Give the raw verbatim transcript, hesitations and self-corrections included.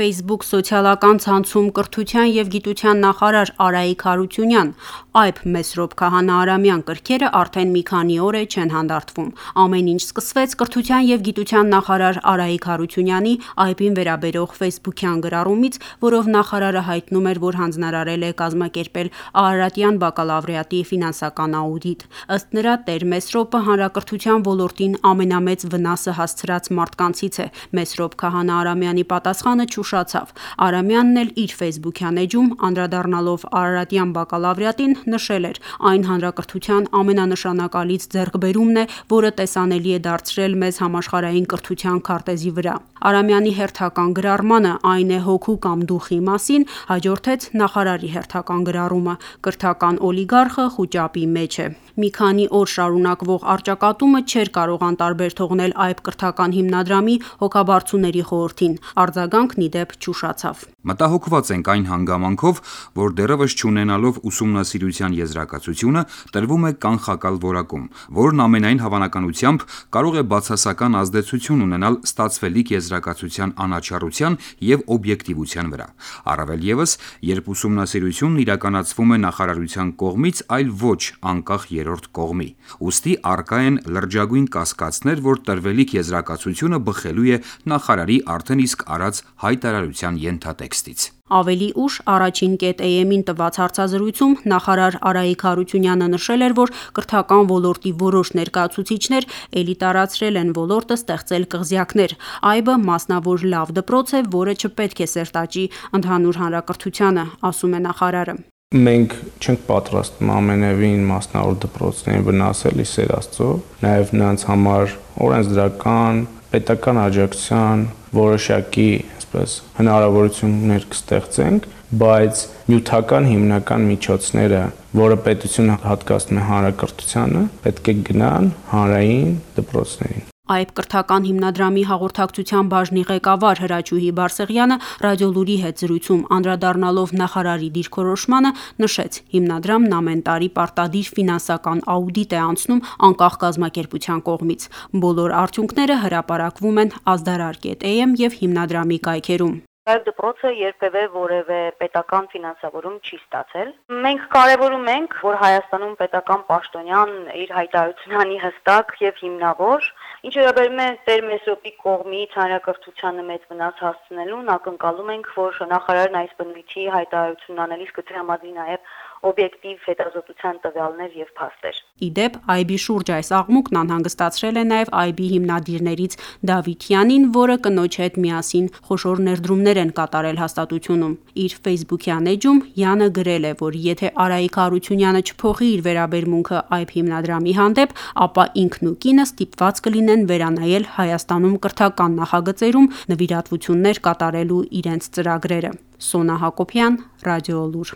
Facebook սոցիալական ցանցում կրթության և գիտության նախարար Արայիկ Հարությունյան, այբ Մեսրոպ Քահանա-Արամյան կրքերը արդեն մի քանի օր է չեն հանդարտվում: Ամեն ինչ սկսվեց կրթության և գիտության նախարար Արայիկ Հարությունյանի այբին վերաբերող ֆեյսբուքյան գրառումից, որով նախարարը հայտնում էր, որ հանձնարարել է կազմակերպել արարատյան բակալավրիատի ֆինանսական աուդիտ: Ըստ նրա, Տեր Մեսրոպը հանրակրթության ոլորտին ամենամեծ վնասը հասցրած մարդկանցից է: Մեսրոպ Քահանա-Արամյանի պատասխանը չուշացավ: Արամյանն էլ իր ֆեյսբուքյան էջում, անդրադառնալով արարատյան բակալավրիատին, նշել էր. «Այն հանրակրթության ամենանշանակալից ձեռքբերումն է, որը տեսանելի է դարձրել մեզ համաշխարհային կրթության քարտեզի վրա»: Արամյանի հերթական գրառմանը՝ «Այն է հոգու կամ դուխի մասին», հաջորդեց նախարարի հերթական գրառումը՝ «Կրթական օլիգարխը խուճապի մեջ է»: Մի քանի օր շարունակվող առճակատումը չէր կարող անտարբեր թողնել այբ կրթական հիմնադրամի հոգաբարձուների խորհրդին: Արձագանքն ի դեպ չուշացավ: «Մտահոգված ենք այն հանգամանքով, որ դեռևս չունենալով ուսումնասիրության եզրակացությունը, տրվում է կանխակալ որակում, որն ամենայն հավանականությամբ կարող է բացասական ազդեցություն ունենալ ստացվելիք եզրակացության անաչառության և օբյեկտիվության վրա: Առավել ևս, երբ ուսումնասիրությունն իրականացվում է նախարարության կողմից, այլ ոչ անկախ երրորդ կողմի: Ուստի առկա են լրջագույն կասկածներ, որ տրվելիք եզրակացությունը բխելու է նախարարի արդեն իսկ արած հայտարարության ենթատեքստից»: Ավելի ուշ Առաջին.am-ին տված հարցազրույցում նախարար Արայիկ Հարությունյանը նշել էր, որ կրթական ոլորտի որոշ ներկայացուցիչներ էլիտարացրել են ոլորտը, ստեղծել կղզյակներ: Այբը մասնավոր լավ դպրոց է, որը չպետք է սերտաճի ընդհանուր հանրակրթությանը, ասում է նախարարը: «Մենք չենք պատրաստ ամենևին մասնավոր դպրոցներին վնասել, ի սեր Աստծո: Նաև նրանց համար օրենսդրական, պետական աջակցության որոշակի հնարավորություններ կստեղծենք, բայց նյութական հիմնական միջոցները, որը պետությունը հատկացնում է հանրակրթությանը, պետք է գնան հանրային դպրոցներին»: Այբ կրթական հիմնադրամի հաղորդակցության բաժնի ղեկավար Հրաչուհի Բարսեղյանը «Ռադիոլուր»-ի հետ զրույցում անդրադառնալով նախարարի դիրքորոշմանը, նշեց. հիմնադրամն ամեն տարի պարտադիր ֆինանսական աուդիտ է անցնում անկախ կազմակերպության կողմից: Բոլոր արդյունքները հրապարակվում են ազդարար.am և հիմնադրամի կայքերում: «Այբ դպրոցը երբևէ որևէ պետական ֆինանսավորում չի ստացել: Մենք կարևորում ենք, որ Հայաստանում պետական պաշտոնյան իր հայտարարությունն անի հստակ և հիմնավոր: Ինչ վերաբերում է Տեր Մեսրոպի կողմից հանրակրթությանը մեծ վնաս հասցնելուն, ակնկալում ենք, որ նախարարն այս բնույթի հայտարարություն անելիս կտրամադրի նաև օբյեկտիվ հետազոտության տվյալներ և փաստեր»: Ի դեպ, այբի շուրջ այս աղմուկն անհանգստացրել է նաև այբի հիմնադիրներից Դավիթ Յանին, որը կնոջ հետ միասին խոշոր ներդրումներ են կատարել հաստատությունում: Իր ֆեյսբուքյան էջումՅանը գրել է, որ եթե Արայիկ Հարությունյանը չփոխի իր վերաբերմունքը այբ հիմնադրամի հանդեպ, ապա ինքն ու կինը ստիպված կլինեն վերանայել Հայաստանում կրթական նախագծերում նվիրատվություններ կատարելու իրենց ծրագրերը: Սոնա Հակոբյան, «Ռադիոլուր»